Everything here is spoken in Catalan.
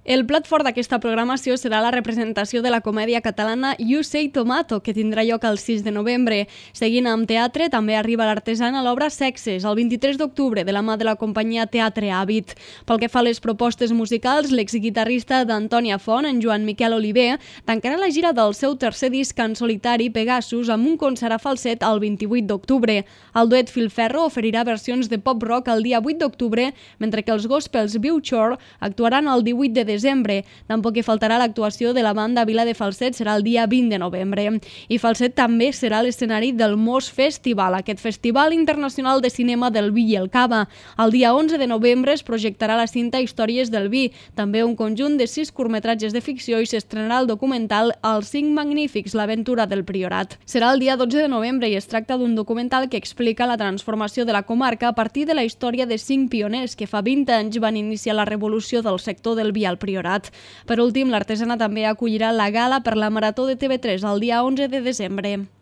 El plat fort d'aquesta programació serà la representació de la comèdia catalana You Say Tomato, que tindrà lloc el 6 de novembre. Seguint amb teatre, també arriba l'artesana a l'obra Sexes, el 23 d'octubre, de la mà de la companyia Teatre Hàbit. Pel que fa a les propostes musicals, l'exguitarrista d'Antònia Font, en Joan Miquel Oliver, tancarà la gira del seu tercer disc en solitari, Pegasus, amb un concert a falset el 28 d'octubre. El duet Filferro oferirà versions de pop-rock el dia 8 d'octubre, mentre que els gospels Viu Chore actuaran el 18 de desembre. Tampoc hi faltarà l'actuació de la banda Vila de Falset, serà el dia 20 de novembre. I Falset també serà l'escenari del Mos Festival, aquest festival internacional de cinema del vi i el cava. El dia 11 de novembre es projectarà la cinta Històries del vi, també un conjunt de 6 curtmetratges de ficció, i s'estrenarà el documental Els 5 Magnífics, l'aventura del Priorat. Serà el dia 12 de novembre i es tracta d'un documental que explica la transformació de la comarca a partir de la història de 5 pioners que fa 20 anys van iniciar la revolució del sector del vi al Priorat. Per últim, l'artesana també acollirà la gala per la Marató de TV3 el dia 11 de desembre.